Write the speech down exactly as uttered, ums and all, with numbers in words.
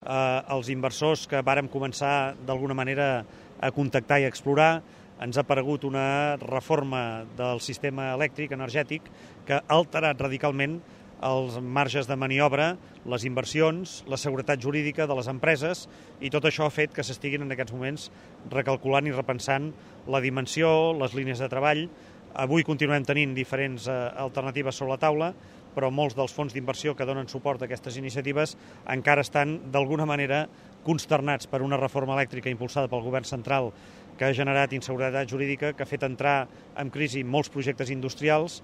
Eh, els inversors que vàrem començar d'alguna manera a contactar i a explorar, ens ha aparegut una reforma del sistema elèctric energètic que ha alterat radicalment els marges de maniobra, les inversions, la seguretat jurídica de les empreses, i tot això ha fet que s'estiguin en aquests moments recalculant i repensant la dimensió, les línies de treball. Avui continuem tenint diferents eh, alternatives sobre la taula, però molts dels fons d'inversió que donen suport a aquestes iniciatives encara estan d'alguna manera consternats per una reforma elèctrica impulsada pel govern central que ha generat inseguretat jurídica, que ha fet entrar en crisi molts projectes industrials.